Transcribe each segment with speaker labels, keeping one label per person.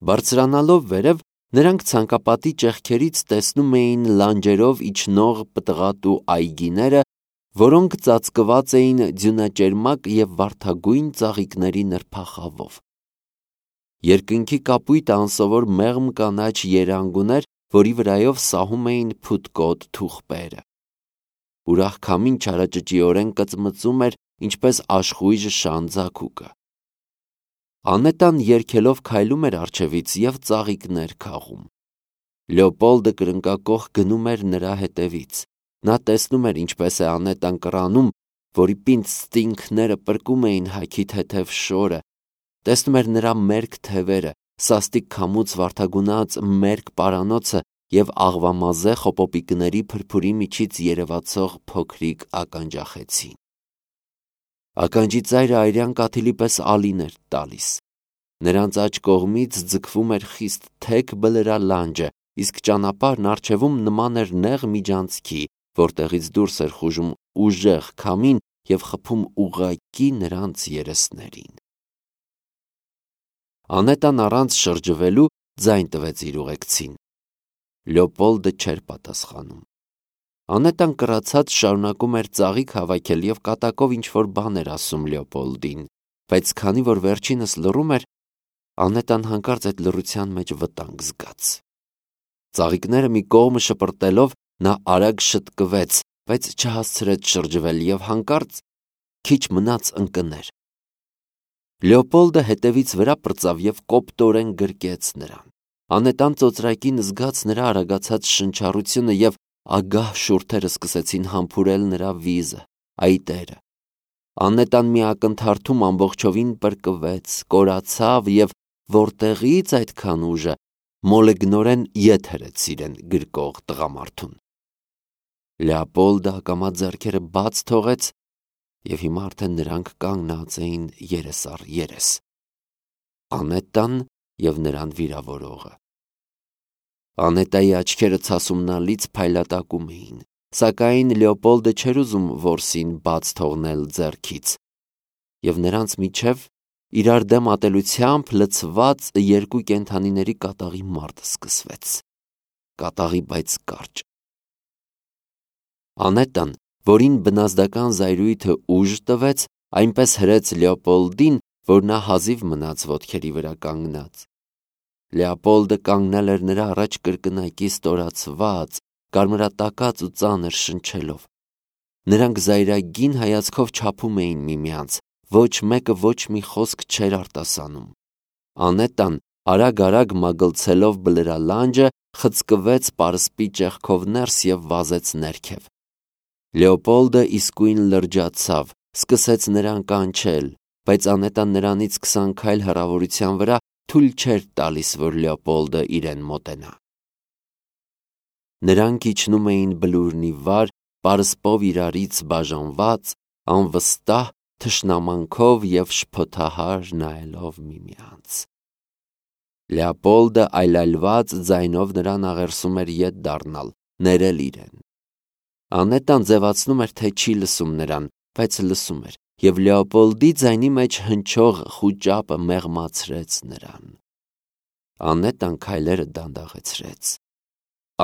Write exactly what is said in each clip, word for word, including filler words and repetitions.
Speaker 1: Բարձրանալով վերև, նրանք ցանկապատի ճեղքերից տեսնում էին լանջերով իջնող պտղատու այգիները, որոնք ծածկված էին ձյունաճերմակ և վարդագույն ծաղիկների նրբախավով։ Երկնքի կապույտը անսովոր մեղմ կանաչ երանգ ուներ, որի վրայով սահում էին փութկոտ թուղպերը։ Ուրախ քամին չարաճճիորեն կծմծում էր, ինչպես աշխույժ շան ձագուկը։ Անետան երգելով քայլում էր առջևից և ծաղիկներ քաղում։ Լեոպոլդը կրնկակոխ գնում էր նրա հետևից։ Նա տեսնում էր, ինչպես է Անետան կռանում, որի պինդ ստինգները պրկում էին հագի թեթև շորը, տեսնում էր նրա մերկ թևերը, սաստիկ քամուց վարդագունած մերկ պարանոցը և աղվամազե խոպոպիկների փրփուրի միջից երևացող փոքրիկ ականջախեցին։ Ականջի ծայրը այրյան կաթիլի պես ալին էր տալիս։ Նրանց աջ կողմից ձգվում էր խիստ թեք բլրա լանջը, իսկ ճանապարհն առջևում նման էր նեղ միջանցքի, որտեղից դուրս էր խուժում ուժեղ քամին և խփում ուղղակի նրանց երեսներին։ Անետան առանց շրջվելու ձայն տվեց իր ուղեկցին։ Լեոպոլդը չէր պատասխանում։ Անետան կռացած շարունակում էր ծաղիկ հավաքել և կատակով ինչ-որ բան էր ասում Լեոպոլդին, բայց քանի որ վերջինս լռում էր, Անետան հանկարծ այդ լռության մեջ վտանգ զգաց։ Ծաղիկները մի կողմը շպրտելով նա արագ շտկվեց, բայց չհասցրեց շրջվել և հանկարծ քիչ մնաց ընկներ։ Լեոպոլդը հետևից վրա պրծավ և կոպտորեն գրկեց նրան։ Անետան ծոծրակին զգաց նրա արագացած շնչառությունը և ագահ շուրթերը սկսեցին համբուրել նրա վիզը, այտերը։ Անետան մի ակնթարթում ամբողջովին պրկվեց, կորացավ և որտեղից այդքան ուժը մոլեգնորեն ետ հրեց իրեն գրկող տղամարդուն։ Լեոպոլդը ակամա ձեռքերը բաց թողեց և հիմա արդեն նրանք կանգնած էին երես առ երես։ Անետան և նրան վիրավորողը։ Անետայի աչքերը ցասումնալից փայլատակում էին, սակայն Լեոպոլդը չէր ուզում որսին բաց թողնել ձեռքից, և նրանց միջև իրար դեմ ատելությամբ լցված երկու կենդանիների կատաղի մարտ սկսվեց։ Կատաղի, բայց կարճ։ Անետան, որին բնազդական զայրույթը ուժ տվեց, այնպես հրեց Լեոպոլդին, որ նա հազիվ մնաց ոտքերի վրա կանգնած։ Լեոպոլդը կանգնել էր նրա առաջ կրկնակի ստորացված, կարմրատակած ու ծանր շնչելով։ Նրանք զայրագին հայացքով չափում էին միմյանց, ոչ մեկը ոչ մի խոսք չէր արտասանում։ Անետան արագ-արագ մագլցելով բլրալանջը խցկվեց պարսպի ճեղքով ներս և վազեց ներքև։ Լեոպոլդը իսկույն լրջացավ, սկսեց նրան կանչել, բայց Անետան նրանից քսան քայլ հեռավորության վրա թույլ չէր տալիս, որ Լեոպոլդը իրեն մոտենա։ Նրանք իջնում էին բլուրնի վար, պարսպով իրարից բաժանված, անվստահ թշնամանքով և շփոթահար նայելով միմյանց։ Լեոպոլդը այլայլված ձայնով նրան աղերսում էր ետ դառնալ, ներել իրեն։ Անետան ձևացնում էր, թե չի լսում նրան, բայց լսում էր, և Լեոպոլդի ձայնի մեջ հնչող խուճապը մեղմացրեց նրան։ Անետան քայլերը դանդաղեցրեց։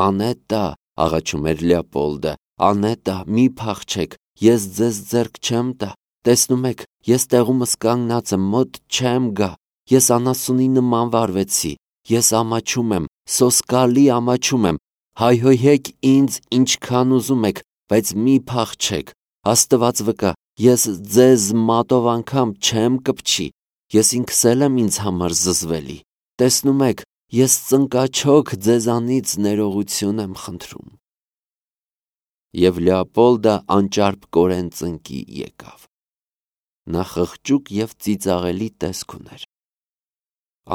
Speaker 1: «Անետա», աղաչում էր Լեոպոլդը, «Անետա, մի փախչեք, ես ձեզ ձեռք չեմ տա, տեսնում եք, ես տեղումս կանգնած եմ, մոտ չեմ գա, ես անասունի նման վարվեցի, ես ամաչում եմ, սոսկալի ամաչում եմ, հայհոյեք ինձ ինչքան ուզում եք, բայց մի փախչեք, Աստված վկա, ես ձեզ մատով անգամ չեմ կպչի, ես ինքս էլ եմ ինձ համար զզվելի, տեսնում եք, ես ծնկաչոք ձեզանից ներողություն եմ խնդրում»։ Եվ Լեոպոլդը անճարպկորեն ծնկի եկավ։ Նա խղճուկ և ծիծաղելի տեսք ուներ։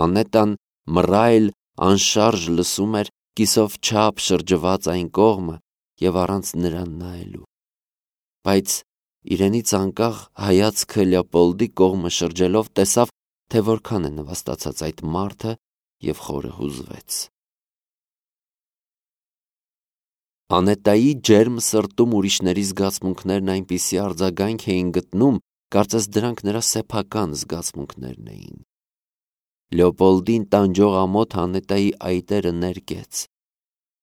Speaker 1: Անետան մռայլ, անշարժ լսում էր, կիսով չափ շրջված այն կողմը և առանց նրան նայելու։ Բայց իրենից անկախ հայացքը Լեոպոլդի կողմը շրջելով տեսավ, թե որքան է նվաստացած այդ մարդը և խորը հուզվեց։ Անետայի ջերմ սրտում ուրիշների զգացմունքներն այնպիսի արձագանք էին գտնում, կարծես դրանք նրա սեփական զգացմունքներն էին։ Լեոպոլդին տանջող ամոթ Անետայի այտերը ներկեց։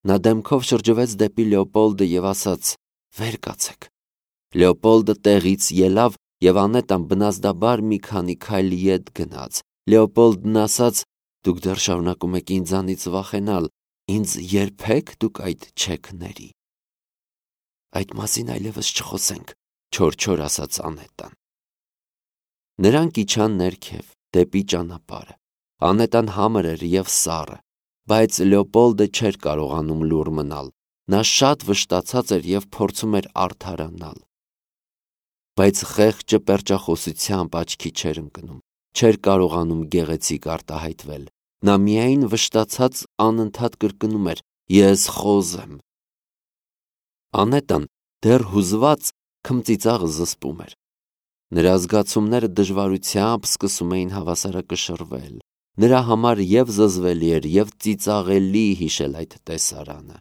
Speaker 1: Նա դեմքով շրջվեց դեպի Լեոպոլդը և ասաց. «Վեր կացեք»։ Լեոպոլդը տեղից ելավ և Անետան բնազդաբար մի քանի քայլ ետ գնաց։ Լեոպոլդն ասաց. «Դուք դեռ շարունակում եք ինձանից վախենալ, ինձ երբեք դուք այդ չեք ների»։ «Այդ մասին այլևս չխոսենք», չոր-չոր ասաց Անետան։ Նրանք իջան ներքև, դեպի ճանապարհը։ Անետան համր էր և սառը, բայց Լեոպոլդը չէր կարողանում լուռ մնալ։ Նա շատ վշտացած էր և փորձում էր արդարանալ։ Բայց խեղճը պերճախոսությամբ աչքի չէր ընկնում, չէր կարողանում գեղեցիկ արտահայտվել։ Նա միայն վշտացած անընդհատ կրկնում էր. «Ես խոզ եմ»։ Անետան դեռ հուզված քմծիծաղը զսպում էր։ Նրա զգացումները դժվարությամբ սկսում էին հավասարակշռվել։ Նրա համար և զզվելի էր, և ծիծաղելի հիշել այդ տեսարանը։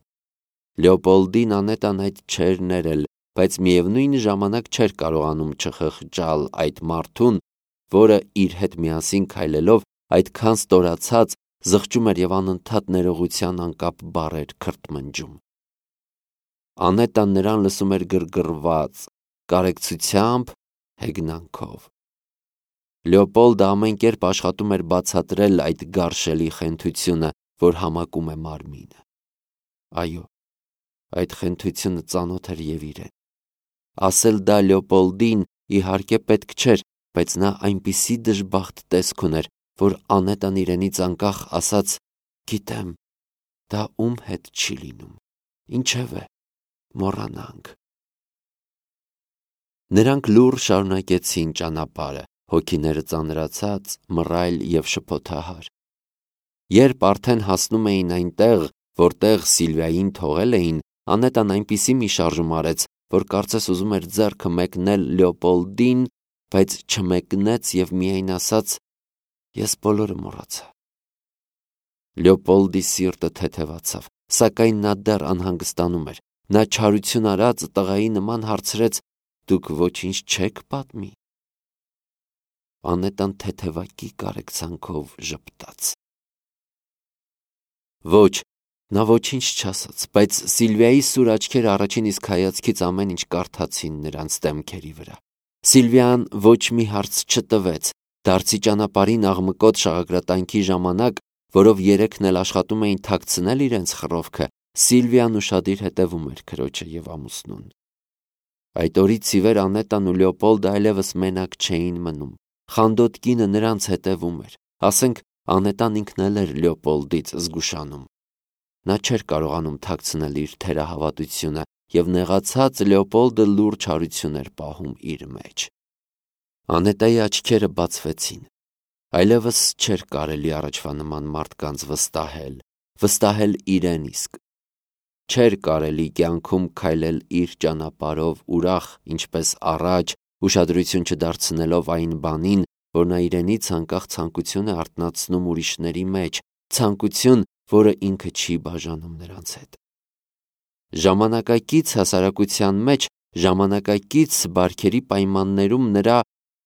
Speaker 1: Լեոպոլդին Անետան այդ չէր ներել, բայց միևնույն ժամանակ չէր կարողանում չխղճալ այդ մարդուն, որը իր հետ միասին քայլելով այդքան ստորացած զղջում էր և անընդհատ ներողության անկապ բառեր քրթմնջում։ Անետան նրան լսում էր գրգռված, կարեկցությամբ, հեգնանքով։ Լեոպոլդը ամեն կերպ աշխատում էր բացատրել այդ գարշելի խենթությունը, որ համակում է մարմինը։ Այո, այդ խենթությունը ծանոթ էր և իրեն։ Ասել դա Լեոպոլդին իհարկե պետք չէր, բայց նա այնպիսի դժբախտ տեսք ուներ, որ Անետան իրենից անկախ ասաց. «Գիտեմ, դա ում հետ չի լինում, ինչևէ, մոռանանք»։ Նրանք լուռ շարունակեցին ճանապարհը, հոգիները ծանրացած, մռայլ և շփոթահար։ Երբ արդեն հասնում էին այնտեղ, որտեղ Սիլվիային թողել էին, Անետան այնպիսի մի շարժում արեց, որ կարծես ուզում էր ձեռքը մեկնել Լեոպոլդին, բայց չմեկնեց և միայն ասաց. «Ես բոլորը մոռացա»։ Լեոպոլդի սիրտը թեթևացավ, սակայն նա դեռ անհանգստանում էր։ Նա չարություն արած տղայի նման հարցրեց. «Դուք ոչինչ չեք պատմի»։ Անետան թեթևակի կարեկցանքով ժպտաց։ Ոչ, նա ոչինչ չասաց, բայց Սիլվիայի սուր աչքերը առաջին իսկ հայացքից ամեն ինչ կարդացին նրանց դեմքերի վրա։ Սիլվիան ոչ մի հարց չտվեց։ Դարձի ճանապարհին աղմկոտ շաղակրատանքի ժամանակ, որով երեքն էլ աշխատում էին թաքցնել իրենց խռովքը, Սիլվիան ուշադիր հետևում էր քրոջը և ամուսնուն։ Այդ օրից ի վեր Անետան ու Լեոպոլդը այլևս մենակ չէին մնում։ Խանդոտ կինը նրանց հետևում էր։ Ասենք Անետան ինքն էլ էր Լեոպոլդից զգուշանում։ Նա չէր կարողանում թաքցնել իր թերահավատությունը, և նեղացած Լեոպոլդը լուրջ չարություն էր պահում իր մեջ։ Անետայի աչքերը բացվեցին։ Այլևս չէր կարելի առաջվա նման մարդկանց վստահել, վստահել իրեն իսկ։ Չէր կարելի կյանքում քայլել իր ճանապարհով ուրախ, ինչպես առաջ, ուշադրություն չդարձնելով այն բանին, որ նա իրենից անկախ ցանկություն է արթնացնում ուրիշների մեջ, ցանկություն, որը ինքը չի բաժանում նրանց հետ։ Ժամանակակից հասարակության մեջ, ժամանակակից բարքերի պայմաններում նրա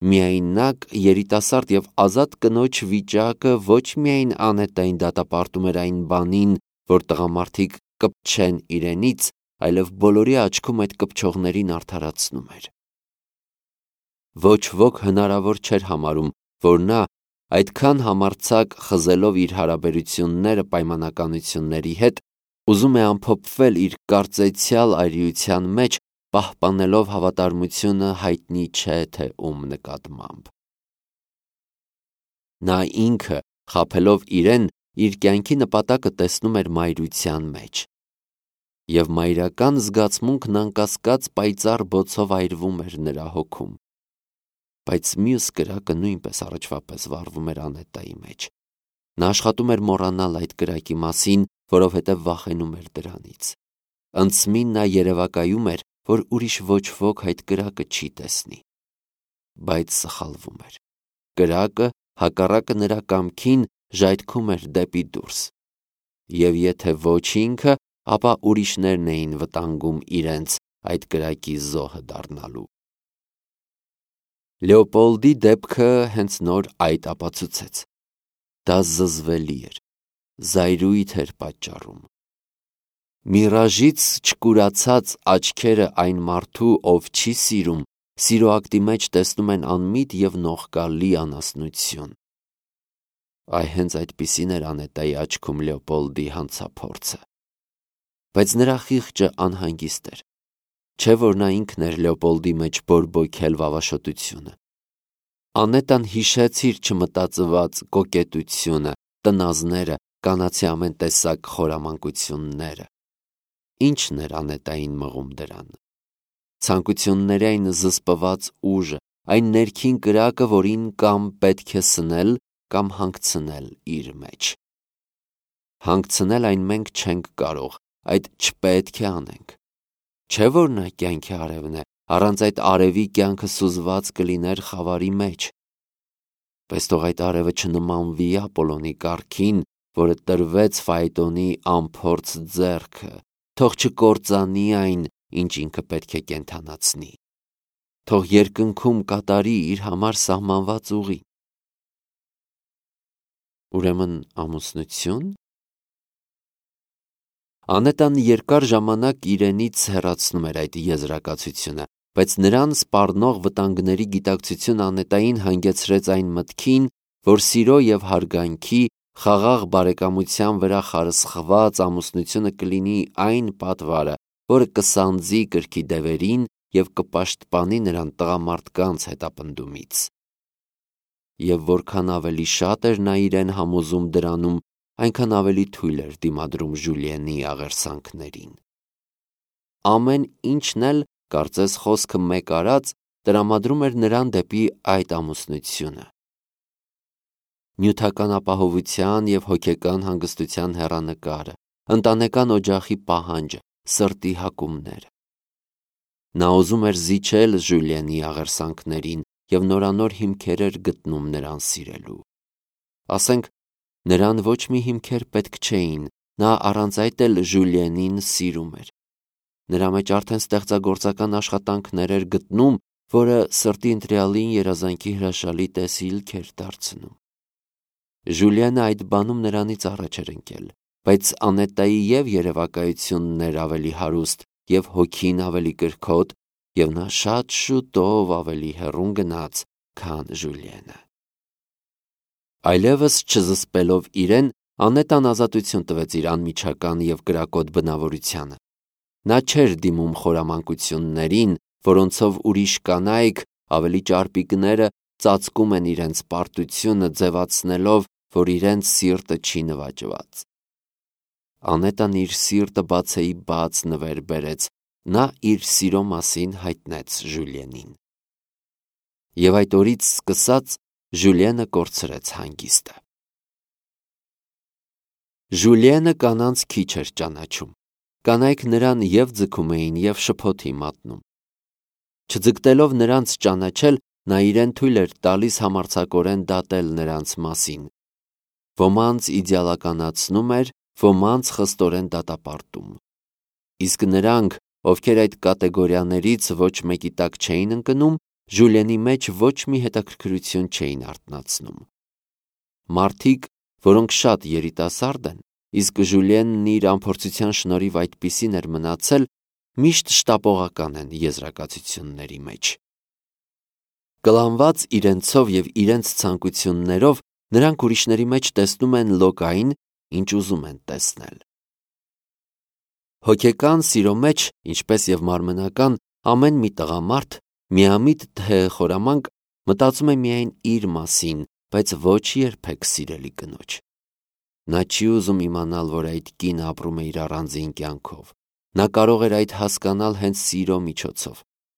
Speaker 1: միայնակ, երիտասարդ և ազատ կնոջ վիճակը ոչ միայն Անետային դատապարտում էր այն բանին, որ տղամարդիկ կպչեն իրենից, այլև բոլորի աչքում այդ կպչողներին արդարացնում էր։ Ոչ ոք հնարավոր չէր համարում, որ նա այդքան համարձակ խզելով իր հարաբերությունները պայմանականությունների հետ, ուզում է ամփոփվել իր կարծեցյալ այրիության մեջ, պահպանելով հավատարմությունը հայտնի չէ թե ում նկատմամբ։ Նա ինքը, խաբելով իրեն, իր կյանքի նպատակը տեսնում էր մայրության մեջ։ Եվ մայրական զգացմունքն անկասկած պայծառ բոցով այրվում էր նրա հոգում։ Բայց մյուս կրակը նույնպես առաջվա պես վառվում էր Անետայի մեջ։ Նա աշխատում էր մոռանալ այդ կրակի մասին, որովհետև վախենում էր դրանից։ Անցմին նա երևակայում էր, որ ուրիշ ոչ ոք այդ կրակը չի տեսնի։ Բայց սխալվում էր։ Կրակը, հակառակը նրա կամքին, ժայթքում էր դեպի դուրս։ Եվ եթե ոչ ինքը, ապա ուրիշներն էին վտանգում իրենց այդ կրակի զոհը դառնալու։ Լեոպոլդի դեպքը հենց նոր այդ ապացուցեց։ Դա զզվելի էր, զայրույթ էր պատճառում։ Միրաժից չկուրացած աչքերը այն մարդու, ով չի սիրում, սիրո ակտի մեջ տեսնում են անմիտ և նողկալի անասնություն։ Այ հենց այդպիսին էր Անետայի աչքում Լեոպոլդի հանցափորձը։ Բայց նրա խիղճը անհանգիստ էր, չէ՞ որ նա ինքն էր Լեոպոլդի մեջ բորբոքել վավաշոտությունը։ Անետան հիշեց իր չմտածված կոկետությունը, տնազները, կանացի ամեն տեսակ խորամանկությունները։ Ի՞նչն էր Անետային մղում դրան։ Ցանկությունների այն զսպված ուժը, այն ներքին կրակը, որին կամ պետք է սնել, կամ հանգցնել իր մեջ։ Հանգցնել այն մենք չենք կարող, այդ չպետք է անենք։ Չէ՞ որ նա կյանքի արևն է, առանց այդ արևի կյանքը սուզված կլիներ խավարի մեջ։ Պես թող այդ արևը չնմանվի Ապոլոնի կառքին, որը տրվեց Ֆայետոնի անփորձ ձեռքը, թող չկործանի այն, ինչ ինքը պետք է կենդանացնի։ Թող երկնքում կատարի իր համար սահմանված ուղի։ Ուրեմն ամուսնություն։ Անետան երկար ժամանակ իրենից հեռացնում էր այդ եզրակացությունը, բայց նրան սպառնող վտանգների գիտակցությունը Անետային հանգեցրեց այն մտքին, որ սիրո և հարգանքի, խաղաղ բարեկամության վրա խարսխված ամուսնությունը կլինի այն պատվարը, որը կսանձի կրքի դևերին և կպաշտպանի նրան տղամարդկանց հետապնդումից։ Եվ որքան ավելի շատ էր նա իրեն համոզում դրանում, այնքան ավելի թույլ էր դիմադրում Ժուլիենի աղերսանքներին։ Ամեն ինչն էլ, կարծես խոսքը մեկ արած, տրամադրում էր նրան դեպի այդ ամուսնությունը։ Նյութական ապահովության և հոգեկան հանգստության հեռանկարը, ընտանեկան օջախի պահանջը, սրտի հակումները։ Նա ուզում էր զիջել Ժուլիենի աղերսանքներին և նորանոր հիմքեր էր գտնում նրան սիրելու։ Ասենք, նրան ոչ մի հիմքեր պետք չէին, նա առանց այդ էլ Ժուլիենին սիրում էր։ Նրա մեջ արդեն ստեղծագործական աշխատանքներ էր գտնում, որը սրտի ընտրյալին երազանքի հրաշալի տեսիլք էր դարձնում։ Ժուլիենը այդ բանում նրանից առաջ էր ընկել, բայց Անետայի և երևակայությունն էր ավելի հարուստ, և հոգին ավելի կրքոտ, և նա շատ շուտով ավելի հեռուն գնաց, քան Ժուլիենը։ Այլևս չզսպելով իրեն, Անետան ազատություն տվեց իր անմիջական և կրակոտ բնավորությանը։ Նա չէր դիմում խորամանկություններին, որոնցով ուրիշ կանայք, ավելի ճարպիկները, ծածկում են իրենց պարտությունը, ձևացնելով, որ իրենց սիրտը չի նվաճված։ Անետան իր սիրտը բացեի բաց նվեր բերեց, նա իր սիրո մասին հայտնեց Ժուլիենին։ Եվ այդ օրից սկսած Ժուլիենը կորցրեց հանգիստը։ Ժուլիենը կանանց քիչ էր ճանաչում։ Կանայք նրան և ձգում էին, և շփոթի մատնում։ Չձգտելով նրանց ճանաչել, նա իրեն թույլ էր տալիս համարձակորեն դատել նրանց մասին։ Ոմանց իդեալականացնում էր, ոմանց խստորեն դատապարտում։ Իսկ նրանք, ովքեր այդ կատեգորիաներից ոչ մեկի տակ չէին ընկնում, Ժուլիենի մեջ ոչ մի հետաքրքրություն չէին արթնացնում։ Մարդիկ, որոնք շատ երիտասարդ են, իսկ Ժուլիենն իր անփորձության շնորհիվ այդպիսին էր մնացել, միշտ շտապողական են եզրակացությունների մեջ։ Կլանված իրենցով և իրենց ցանկություններով նրանք ուրիշների մեջ տեսնում են լոկային, ինչ ուզում են տեսնել։ Հոգեկան սիրո մեջ, ինչպես և մարմնական, ամեն մի տղամարդ, միամիտ թե խորամանկ, մտածում է միայն իր մասին, բայց ոչ երբեք սիրելի կնոջ։ Նա չի ուզում իմանալ, որ այդ կինը ապրում է իր առանձին կյանքով։ Նա կարող էր այդ հասկանալ հենց սիրո միջոցով։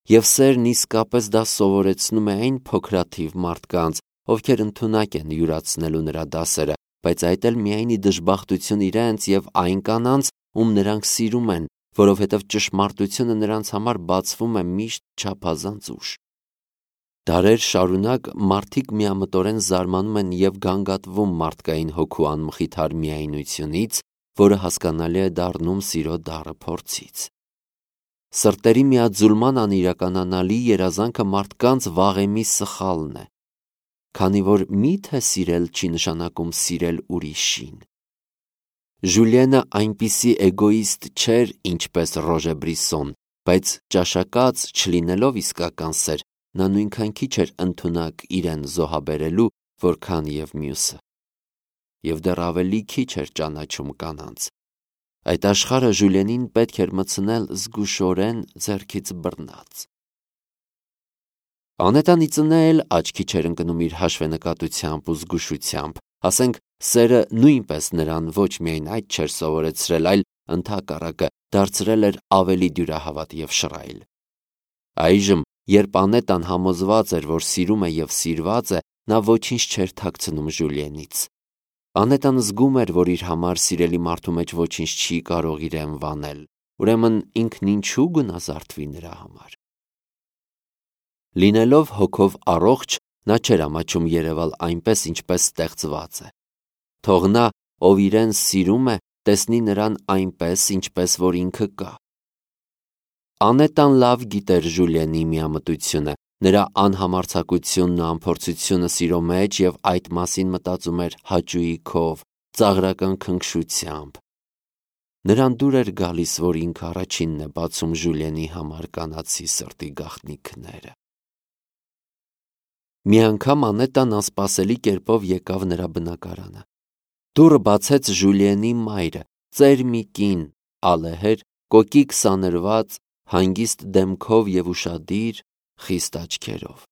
Speaker 1: Եվ սերն իսկապես դա սովորեցնում է այն փոքրաթիվ մարդկանց, ովքեր ընդունակ են յուրացնելու նրա դասերը, բայց այդ էլ միայն ի դժբախտություն իրենց և այն կանանց, ում նրանք սիրում են, որովհետև ճշմարտությունը նրանց համար բացվում է միշտ չափազանց ուշ։ Դարեր շարունակ մարդիկ միամտորեն զարմանում են և գանգատվում մարդկային հոգու անմխիթար միայնությունից, որը հասկանալի է դառնում սիրո դառը փորձից։ Սրտերի միաձուլման անիրականանալի երազանքը մարդկանց վաղեմի սխալն է։ քանի որ միթե սիրել չի նշանակում սիրել ուրիշին։ Ժուլիենը այնպիսի էգոիստ չէր, ինչպես Ռոժե Բրիսոն, բայց ճաշակած չլինելով իսկական սեր, նա նույնքան քիչ էր ընդունակ իրեն զոհաբերելու, որքան և մյուսը։ Եվ դեռ ավելի քիչ էր ճանաչում կանանց։ Այդ աշխարհը Ժուլիենին պետք էր մտցնել զգուշորեն ձեռքից բռնած։ Անետան ի ծնե էլ աչքի չէր ընկնում իր հաշվենկատությամբ ու զգուշությամբ, ասենք սերը նույնպես նրան ոչ միայն այդ չէր սովորեցրել, այլ ընդհակառակը դարձրել էր ավելի դյուրահավատ և շռայլ։ Այժմ, երբ Անետան համոզված էր, որ սիրում է և սիրված է, նա ոչինչ չէր թաքցնում Ժուլիենից։ Անետան զգում էր, որ իր համար սիրելի մարդու մեջ ոչինչ չի կարող իրեն վանել, ուրեմն ինքն ինչու գունազարդվի նրա համար։ Լինելով հոգով առողջ, նա չէր ամաչում երևալ այնպես, ինչպես ստեղծված է։ Թող նա, ով իրեն սիրում է, տեսնի նրան այնպես, ինչպես որ ինքը կա։ Անետան լավ գիտեր Ժուլիենի միամտությունը, նրա անհամարձակությունն ու անփորձությունը սիրո մեջ և այդ մասին մտածում էր հաճույքով, ծաղրական քնքշությամբ։ Նրան դուր էր գալիս, որ ինքը առաջինն է բացում Ժուլիենի համար կանացի սրտի գաղտնիքները։ Մի անգամ Անետան անսպասելի կերպով եկավ նրա բնակարանը։ Դուռը բացեց Ժուլիենի մայրը, ծեր մի կին, ալեհեր, կոկիկ սանրված, հանգիստ դեմքով և ուշադիր, խիստ աչքերով։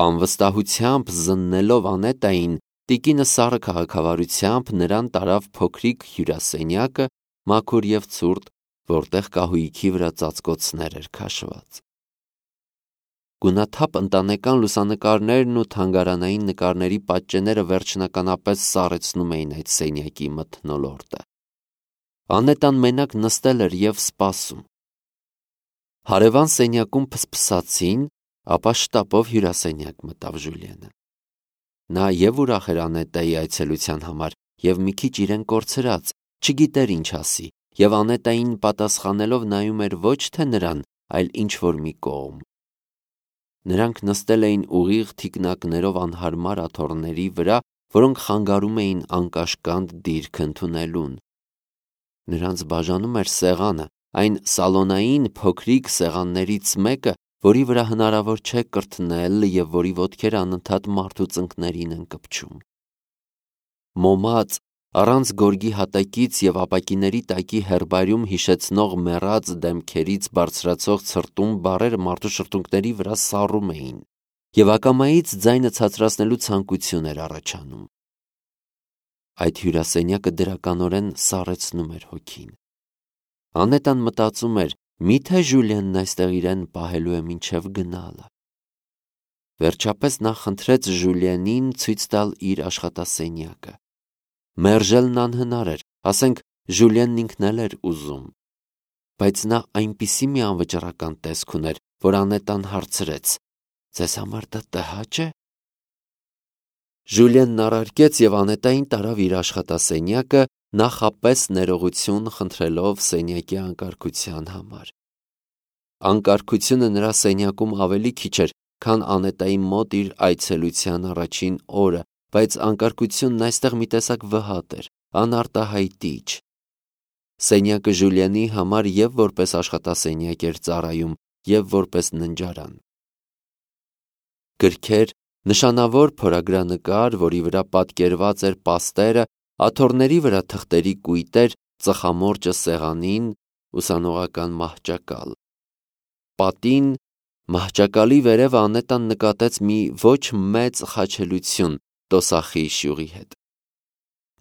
Speaker 1: Անվստահությամբ զննելով Անետային, տիկինը սառը քաղաքավարությամբ նրան տարավ փոքրիկ հյուրասենյակը, մաքուր և ցուրտ, որտեղ կահույքի վրա ծածկոցներ էր քաշված։ Գունաթափ ընտանեկան լուսանկարներն ու թանգարանային նկարների պատճենները վերջնականապես սառեցնում էին այդ սենյակի մթնոլորտը։ Անետան մենակ նստել էր և սպասում։ Հարևան սենյակում փսփսացին, ապա շտապով հյուրասենյակ մտավ Ժուլիենը։ Նա և ուրախ էր Անետայի այցելության համար, և մի քիչ իրեն կորցրած, չգիտեր ինչ ասի, և Անետային պատասխանելով նայում էր ոչ թե նրան, այլ ինչ-որ մի կողմ։ Նրանք նստել էին ուղիղ թիկնակներով անհարմար աթոռների վրա, որոնք խանգարում էին անկաշկանդ դիրք ընդունելուն։ Նրանց բաժանում էր սեղանը, այն սալոնային փոքրիկ սեղաններից մեկը, որի վրա հնարավոր չէ կրթնել և որի ոտքերը անընդհատ մարդու ծնկներին են կպչում։ Մոմած, առանց գորգի հատակից և ապակիների տակի հերբարիում հիշեցնող մեռած դեմքերից բարձրացող ցրտում բառերը մարդու շրթունքների վրա սառում էին, և ակամայից ձայնը ցածրացնելու ցանկություն էր առաջանում։ Այդ հյուրասենյակը դրականորեն սառեցնում էր հոգին։ Անետան մտածում էր, միթե Ժուլիենն այստեղ իրեն պահելու է մինչև գնալը։ Վերջապես նա խնդրեց Ժուլիենին ցույց տալ իր աշխատասենյակը։ Մերժելն անհնար էր, ասենք Ժուլիենն ինքն էլ էր ուզում։ Բայց նա այնպիսի մի անվճռական տեսք ուներ, որ Անետան հարցրեց. «Ձեզ համար դա տհաճ է»։ Ժուլիենն առարկեց և Անետային տարավ իր աշխատասենյակը, նախապես ներողություն խնդրելով սենյակի անկարգության համար։ Անկարգությունը նրա սենյակում ավելի քիչ էր, քան Անետայի մոտ իր այցելության առաջին օրը, բայց անկարգությունն այստեղ մի տեսակ վհատ էր, անարտահայտիչ։ Սենյակը Ժուլիենի համար և որպես աշխատասենյակ էր ծառայում, և որպես ննջարան։ Գրքեր, նշանավոր փորագրանկար, որի վրա պատկերված էր պաստերը, աթոռների վրա թղթերի կույտեր, ծխամորճը սեղանին, ուսանողական մահճակալ։ Պատին, մահճակալի վերևը Անետան նկատեց մի ոչ մեծ խաչելություն տոսախի շյուղի հետ։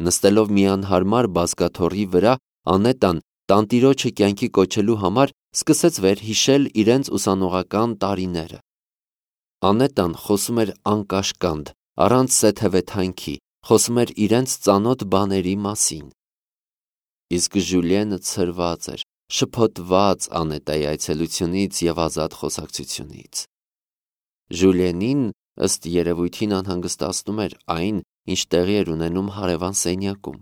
Speaker 1: Նստելով մի անհարմար բազկաթոռի վրա, Անետան, տանտիրոջը կյանքի կոչելու համար, սկսեց վերհիշել իրենց ուսանողական տարիները։ Անետան խոսում էր անկաշկանդ, առանց սեթևեթանքի, խոսում էր իրենց ծանոթ բաների մասին։ Իսկ Ժուլիենը ցրված էր, շփոթված Անետայի այցելությունից և ազատ խոսակցությունից։ Ժուլիենին, ըստ երևույթին, անհանգստացնում էր այն, ինչ տեղի էր ունենում հարևան սենյակում։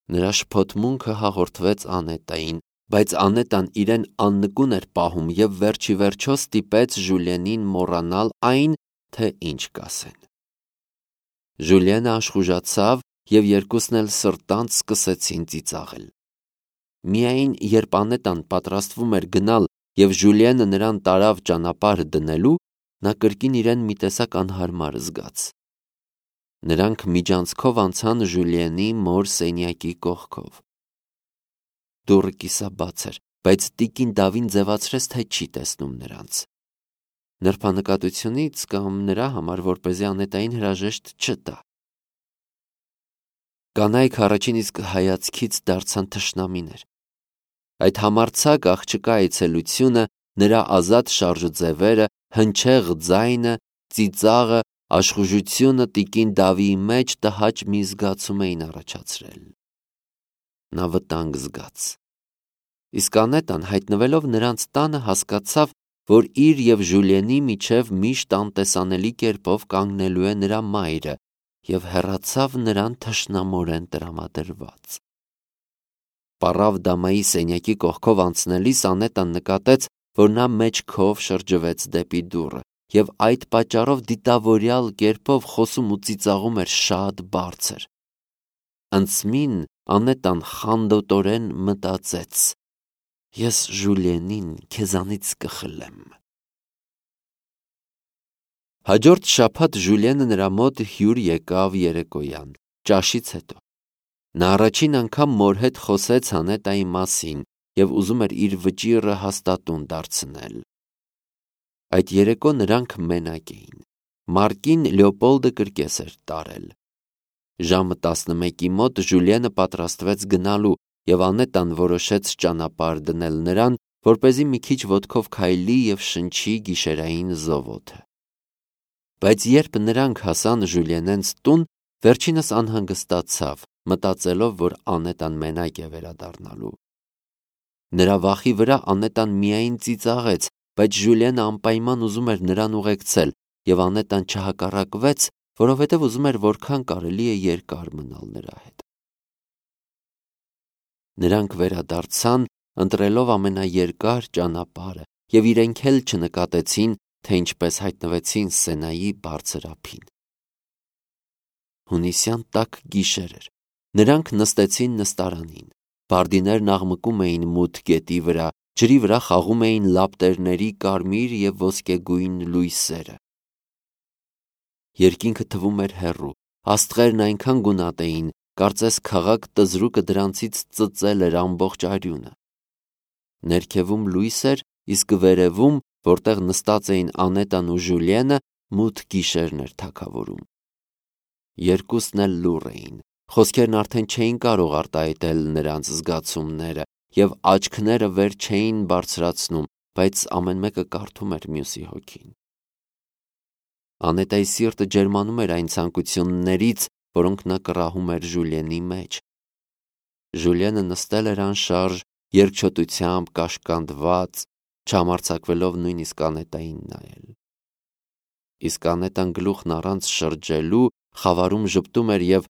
Speaker 1: Նրա շփոթմունքը հաղորդվեց Անետային, բայց Անետան իրեն աննկուն էր պահում և վերջիվերջո ստիպեց Ժուլիենին մոռանալ այն, թե ինչ կասեն։ Ժուլիենը աշխուժացավ և երկուսն էլ սրտանց սկսեցին ծիծաղել։ Միայն երբ Անետան պատրաստվում էր գնալ և Ժուլիենը նրան տարավ ճանապարհ դնելու, նա կրկին իրեն մի տեսակ անհարմար զգաց։ Նրանք միջանցքով անցան Ժուլիենի մոր սենյակի կողքով։ Դուռը կիսաբաց էր, բայց տիկին Դավին ձևացրեց, թե չի տեսնում նրանց։ Նրբանկատությունից կամ նրա համար, որպեսզի Անետային հրաժեշտ չտա։ Կանայք առաջին իսկ հայացքից դարձան թշնամիներ։ Այդ համարձակ աղջկա այցելությունը, նրա ազատ շարժուձևերը, հնչեղ ձայնը, ծիծաղը, աշխուժությունը տիկին Դավիի մեջ տհաճ մի զգացում էին առաջացրել։ Նա վտանգ զգաց։ Իսկ Անետան, հայտնվելով նրանց տանը, հասկացավ, որ իր և Ժուլիենի միջև միշտ անտեսանելի կերպով կանգնելու է նրա մայրը, և հեռացավ նրան թշնամորեն տրամադրված։ Պառավ դամայի սենյակի կողքով անցնելիս Անետան նկատեց, որ նա մեջքով շրջվեց դեպի դուռը և այդ պատճառով դիտավորյալ կերպով խոսում ու ծիծաղում էր շատ բարձր։ Անցմին Անետան խանդոտորեն մտածեց. «Ես Ժուլիենին քեզանից կխլեմ»։ Հաջորդ շաբաթ Ժուլիենը նրա մոտ հյուր եկավ երեկոյան, ճաշից հետո։ Նա առաջին անգամ մոր հետ խոսեց Անետայի մասին և ուզում էր իր վճիռը հաստատուն դարձնել։ Այդ երեկո նրանք մենակ էին։ Մարկին Լեոպոլդը կրկես էր տարել։ Ժամը տասնմեկի մոտ Ժուլիենը պատրաստվեց գնալու, և Անետան որոշեց ճանապարհ դնել նրան, որպեսզի մի քիչ ոտքով քայլի և շնչի գիշերային զովոթը։ Բայց երբ նրանք հասան Ժուլիենենց տուն, վերջինս անհանգստացավ, մտածելով, որ Անետան մենակ է վերադառնալու։ Նրա վախի վրա Անետան միայն ծիծաղեց, բայց Ժուլիենը անպայման ուզում էր նրան ուղեկցել, և Անետան չհակառակվեց, որովհետև ուզում էր որքան կարելի է երկար մնալ նրա հետ։ Նրանք վերադարձան, ընտրելով ամենաերկար ճանապարհը, և իրենք էլ չնկատեցին, թե ինչպես հայտնվեցին Սենայի բարձր ափին։ Հունիսյան տաք գիշեր էր։ Նրանք նստեցին նստարանին։ Բարդիներն աղմկում էին մութ գետի վրա, ջրի վրա խաղում էին լապտերների կարմիր և ոսկեգույն լույսերը։ Երկինքը թվում էր հեռու, աստղերն այնքան գունատ էին, կարծես քաղաք տզրուկը դրանցից ծծել էր ամբողջ արյունը։ Ներքևում լույս էր, իսկ վերևում, որտեղ նստած էին Անետան ու Ժուլիենը, մութ գիշերն էր թագավորում։ Երկուսն էլ լուռ էին, խոսքերն արդեն չէին կարող արտահայտել նրանց զգացումները, և աչքները վեր չէին բարձրացնում, բայց ամեն մեկը կարդում էր մյուսի հոգին։ Անետայի սիրտը ջերմանում էր այն ցանկություններից, որոնք նա կռահում էր Ժուլիենի մեջ։ Ժուլիենը նստել էր անշարժ, երկչոտությամբ կաշկանդված, չհամարձակվելով նույնիսկ Անետային նայել։ Իսկ Անետան գլուխն առանց շրջելու խավարում ժպտում էր և,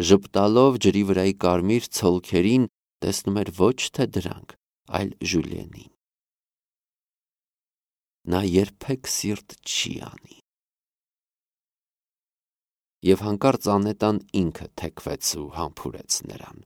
Speaker 1: ժպտալով ջրի վրայի կարմիր ցոլքերին, տեսնում էր ոչ թե դրանք, այլ Ժուլիենին։ Նա երբեք սիրտ չի անի։ Եվ հանկարծ Անետան ինքը թեքվեց ու համբուրեց նրան։